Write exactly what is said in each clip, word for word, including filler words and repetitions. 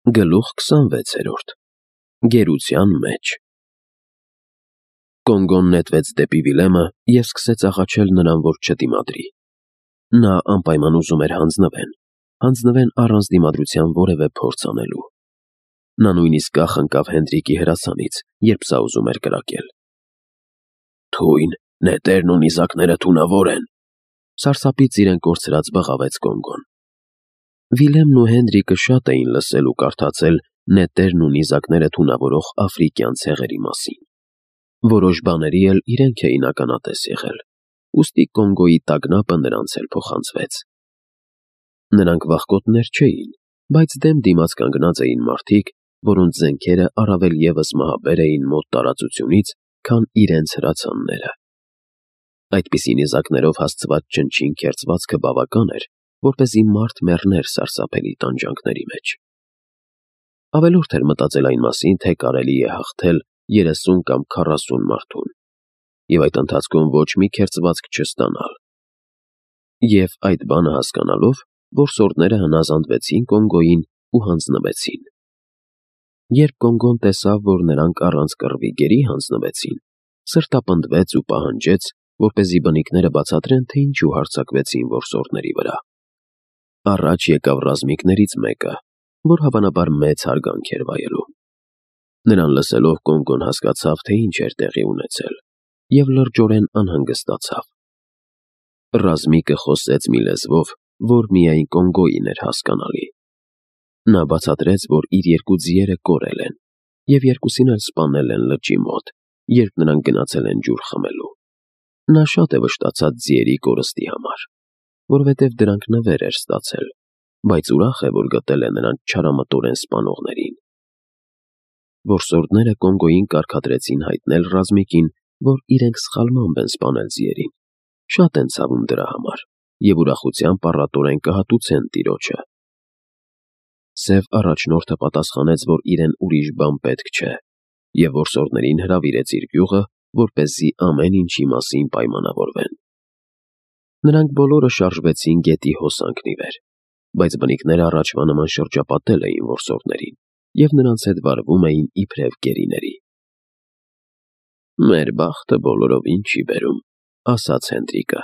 Գլուխ քսանվեցերորդ Գերության մեջ Կոնգոն նետվեց դեպի Վիլեմը և սկսեց աղաչել նրան, որ չդիմադրի։ Նա անպայման ուզում էր հանձնվեն, հանձնվեն առանց դիմադրության որևէ փորձ անելու։ Նա նույնիսկ կախ ընկավ Հենդրիկի հրացանից, երբ սա ուզում էր կրակել։ «Թույն, նետերն ու նիզակները թունավոր են», սարսափից իրեն կորցրած բղավեց Կոնգոն։ Վիլեմն ու Հենդրիկը շատ էին լսել ու կարդացել նետերն ու նիզակները թունավորող աֆրիկյան ցեղերի մասին։ Որոշ բաների էլ իրենք էին ականատես եղել, ուստի Կոնգոյի տագնապը նրանց էլ փոխանցվեց։ Նրանք վախկոտներ չէին, բայց դեմ դիմաց կանգնած էին մարդիկ, որոնց զենքերը առավել ևս մահաբեր էին մոտ տարածությունից, քան իրենց հրացանները։ Այդպիսի նիզակներով հասցված չնչին քերծվածքը բավական էր, որպեսզի մարդ մեռներ սարսափելի տանջանքների մեջ։ Ավելորդ էր մտածել այն մասին, թե կարելի է հաղթել երեսուն կամ քառասուն մարդուն, և այդ ընթացքում ոչ մի քերծվածք չստանալ։ Եվ այդ բանը հասկանալով, որսորդները հնազանդվեցին Կոնգոյին ու հանձնվեցին։ Երբ Կոնգոն տեսավ, որ նրանք առանց կռվի գերի հանձնվեցին, սրտապնդվեց ու պահանջեց, որպեսզի բնիկները բացատրեն, թե ինչու հարձակվեցին որսորդների վրա։ Առաջ եկավ ռազմիկներից մեկը, որ հավանաբար մեծ հարգանք էր վայելում։ Նրան լսելով Կոնգոն հասկացավ, թե ինչ էր տեղի ունեցել, և լրջորեն անհանգստացավ։ Ռազմիկը խոսեց մի լեզվով, որ միայն Կոնգոյին էր հասկանալի։ Նա բացատրեց, որ իր երկու ձիերը կորել են, և երկուսին էլ սպանել են լճի մոտ, երբ նրանք գնացել են ջուր խմելու։ Նա շատ է վշտացած ձիերի կորստի համար, որովհետև դրանք նվեր էր ստացել, բայց ուրախ է, որ գտել է նրանց չարամտորեն սպանողներին։ Որսորդները Կոնգոյին կարգադրեցին հայտնել ռազմիկին, որ իրենք սխալմամբ են սպանել ձիերին, շատ են ցավում դրա համար և ուրախությամբ առատորեն կհատուցեն տիրոջը։ Սև առաջնորդը պատասխանեց, որ իրեն ուրիշ բան պետք չէ, և որսորդներին հրավիրեց իր գյուղը, որպեսզի ամեն ինչի մասին պայմանավորվեն։ Նրանք բոլորը շարժվեցին գետի հոսանքն ի վեր, բայց բնիկները առաջվա նման շրջապատել էին որսորդներին և նրանց հետ վարվում էին իբրև գերիների։ «Մեր բախտը բոլորովին չի բերում», ասաց Հենդրիկը։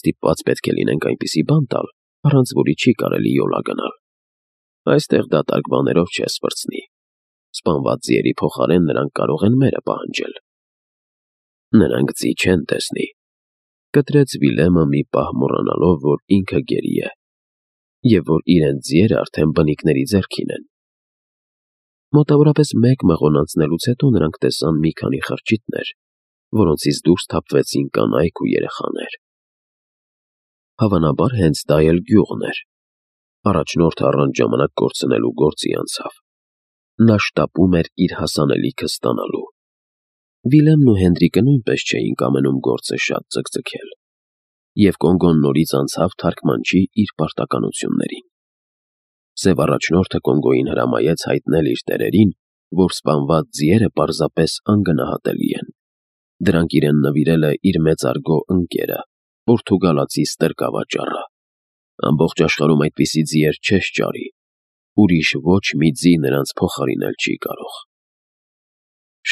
«Ստիպված պետք է լինենք այնպիսի բան տալ, առանց որի չի կարելի յոլա գնալ։ Այստեղ դատարկ բաներով չես վրձնի։ Սպանված ձիերի փոխարեն նրանք կարող են մերը պահանջել»։ «Նրանք ձի չեն տեսնի», կտրեց Վիլեմը մի պահ մոռանալով, որ ինքը գերի է, և որ իրենց ձիերը արդեն բնիկների ձեռքին են։ Մոտավորապես մեկ մղոն անցնելուց հետո նրանք տեսան մի քանի խրճիթներ, որոնցից դուրս թափվեցին կանայք ու երեխաներ։ Հավանաբար հենց դա էլ գյուղն էր։ Առաջնորդը առանց ժամանակ կորցնելու գործի անցավ։ Նա շտապում էր իր հասանելիքը ստանալու։ Վիլեմն ու Հենդրիկը նույնպես չէին կամենում գործը շատ ձգձգել, և Կոնգոն նորից անցավ թարգմանչի իր պարտականություններին։ Սև առաջնորդը Կոնգոյին հրամայեց հայտնել իր տերերին, որ սպանված ձիերը պարզապես անգնահատելի են։ Դրանք իրեն նվիրել է իր մեծարգո ընկերը, պորտուգալացի ստրկավաճառը։ Ամբողջ աշխարհում այդպիսի ձիեր չես ճարի, ուրիշ ոչ մի ձի նրանց փոխարինել չի կարող։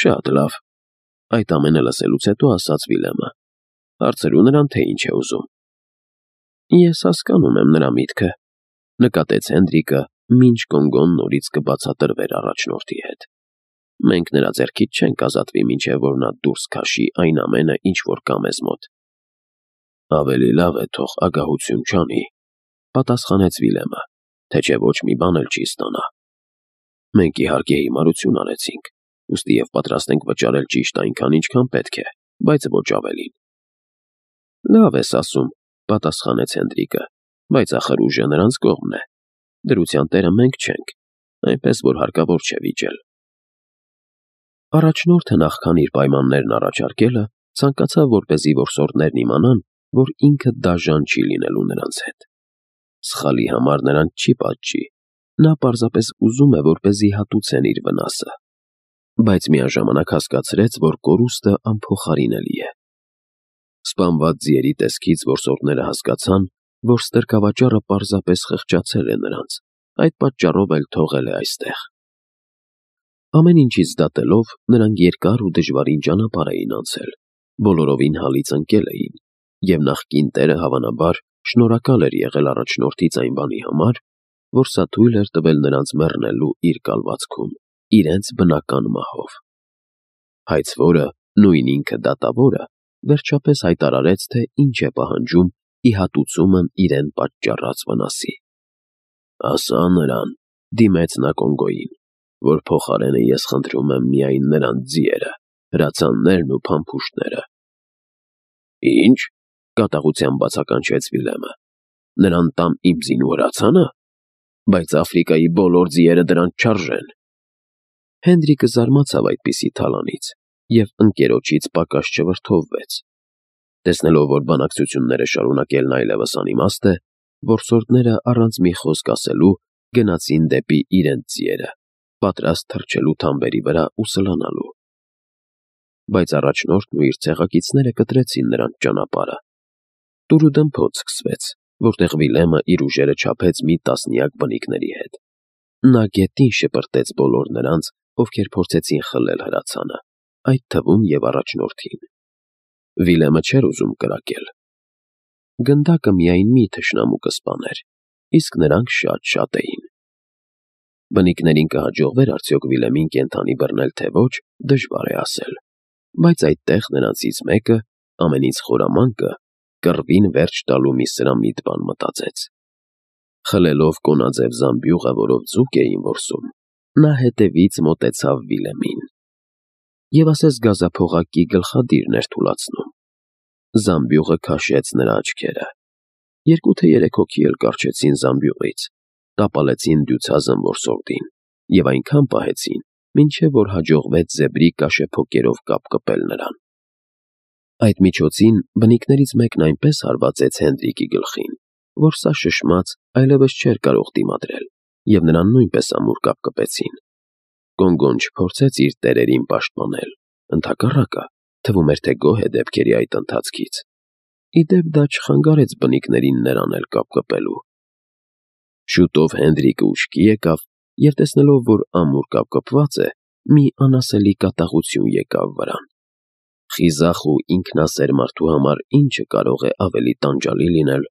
«Շատ լավ», այդ ամենը լսելուց հետո ասաց Վիլեմը։ «Հարցրու նրան, թե ինչ է ուզում»։ «Ես հասկանում եմ նրա միտքը», նկատեց Հենդրիկը, մինչ Կոնգոն նորից կբացատրվեր առաջնորդի հետ։ «Մենք նրա ձեռքից չենք ազատվի, մինչև որ նա դուրս քաշի այն ամենը, ինչ որ կա մեզ մոտ»։ «Ավելի լավ է թող ագահություն չանի», պատասխանեց Վիլեմը, «թե չէ ոչ մի բան էլ չի ստանա։ Մենք իհարկե հիմարություն արեցինք, ուստի և պատրաստ ենք վճարել ճիշտ այնքան, ինչքան պետք է, բայց ոչ ավելին»։ «Լավ ես ասում», պատասխանեց Հենդրիկը, «բայց ախր ուժը նրանց կողմն է։ Դրության տերը մենք չենք, այնպես որ հարկավոր չէ վիճել»։ Առաջնորդը նախքան իր պայմաններն առաջարկելը, ցանկացավ, որպեսզի որսորդներն իմանան, որ ինքը դաժան չի լինելու նրանց հետ։ Սխալի համար նրանց չի պատժի, նա պարզապես ուզում է, որպեսզի հատուցեն իր վնասը, բայց միաժամանակ հասկացրեց, որ կորուստը անփոխարինելի է։ Սպանված ձիերի տեսքից որսորդները հասկացան, որ ստրկավաճառը պարզապես խղճացել է նրանց, այդ պատճառով էլ թողել է այստեղ։ Ամեն ինչից դատելով, նրանք երկար ու դժվարին ճանապարհ էին անցել, բոլորովին հալից ընկել էին, և նախկին տերը հավանաբար շնորհակալ էր եղել առաջնորդից այն բանի համար, որ սա թույլ էր տվել նրանց մեռնելու իր կալվածքում, իրենց բնական մահով։ Հայցվորը, նույն ինքը դատավորը, վերջապես հայտարարեց, թե ինչ է պահանջում ի հատուցումն իրեն պատճառած վնասի։ «Ասա նրան», դիմեց նա Կոնգոյին, «որ փոխարենը ես խնդրում եմ միայն նրանց ձիերը, հրացաններն ու փամփուշտները»։ «Ի՞նչ», կատաղությամբ բացականչեց Վիլեմը, «նրան տամ իմ ձին ու հրացանը, բայց Աֆրիկայի բոլոր ձիերը դրանց չարժեն»։ Հենրիկը զարմացավ այդպիսի թալանից և ընկերոջից պակաս չվրդովվեց։ Տեսնելով, որ բանակցությունները շարունակելն այլևս անիմաստ է, որսորդները առանց մի խոսք ասելու գնացին դեպի իրենց ձիերը, պատրաստ թռչելու թամբերի վրա ու սլանալու։ Բայց առաջնորդն ու իր ցեղակիցները կտրեցին նրանց ճանապարհը։ Տուրուդմփոց սկսվեց, որտեղ Վիլեմը իր ուժերը չափեց մի տասնյակ բնիկների հետ։ Նա գետին շպրտեց բոլոր նրանց, ովքեր փորձեցին խլել հրացանը, այդ թվում և առաջնորդին։ Վիլեմը չէր ուզում կրակել։ Գնդակը միայն մի թշնամու կսպաներ, իսկ նրանք շատ-շատ էին։ Բնիկներին կհաջողվեր արդյոք Վիլեմին կենդանի բռնել, թե ոչ, դժվար է ասել, բայց այդտեղ նրանցից մեկը, ամենից խորամանկը, կռվին վերջ տալու մի սրամիտ բան մտածեց։ Խլելով կոնաձև զամբյուղը, որով ձուկ էին որսում, նա հետևից մոտեցավ Վիլեմին և ասես գազափողակի գլխադիրն էր թուլացնում։ Զամբյուղը քաշեց նրա աչքերը։ Երկու թե երեք հոգի էլ կառչեցին զամբյուղից, տապալեցին դյուցազն որսորդին և այնքան պահեցին, մինչև որ հաջողվեց զեբրի կաշեփոկերով կապկպել նրան։ Այդ միջոցին բնիկներից մեկն այնպես հարվածեց Հենրիկի գլխին, որ սա շշմած այլևս չէր կարող դիմադրել, և նրան նույնպես ամուր կապկպեցին։ Կոնգոն չփորձեց իր տերերին պաշտպանել, ընդհակառակը, թվում էր, թե գոհ է դեպքերի այդ ընթացքից։ Ի դեպ, դա չխանգարեց բնիկներին նրան էլ կապկպելու։ Շուտով Հենրիկը ուշքի եկավ և տեսնելով, որ ամուր կապկպված է, մի անասելի կատաղություն եկավ վրան։ Խիզախ ու ինքնասեր մարդու համար ի՞նչը կարող է ավելի տանջալի լինել,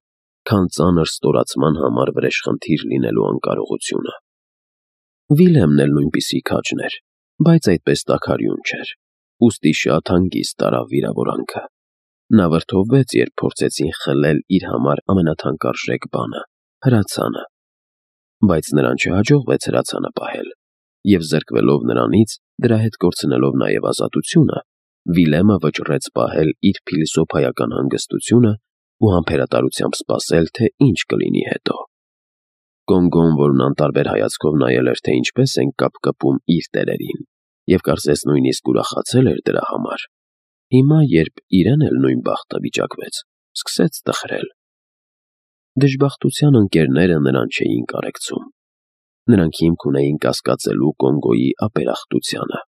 քան ծանր ստորացման համար վրեժխնդիր լինելու անկարողությունը։ Վիլեմն էլ նույնպիսի քաջն էր, բայց այդպես տաքարյուն չէր, ուստի շատ հանգիստ տարավ վիրավորանքը։ Նա վրդովվեց, երբ փորձեցին խլել իր համար ամենաթանկարժեք բանը՝ հրացանը։ Բայց նրան չհաջողվեց հրացանը պահել, և զրկվելով նրանից, դրա հետ կորցնելով նաև ազատությունը, Վիլեմը վճռեց պահել իր փիլիսոփայական հանգստությունը ու համբերատարությամբ սպասել, թե ինչ կլինի հետո։ Կոնգոն, որն անտարբեր հայացքով նայել էր, թե ինչպես են կապկպում իր տերերին, և կարծես նույնիսկ ուրախացել էր դրա համար, հիմա, երբ իրեն էլ նույն բախտը վիճակվեց, սկսեց տխրել։ Դժբախտության ընկերները նրան չէին կարեկցում։ Նրանք հիմք ունեին կասկածելու Կոնգոյի ապերախտությանը։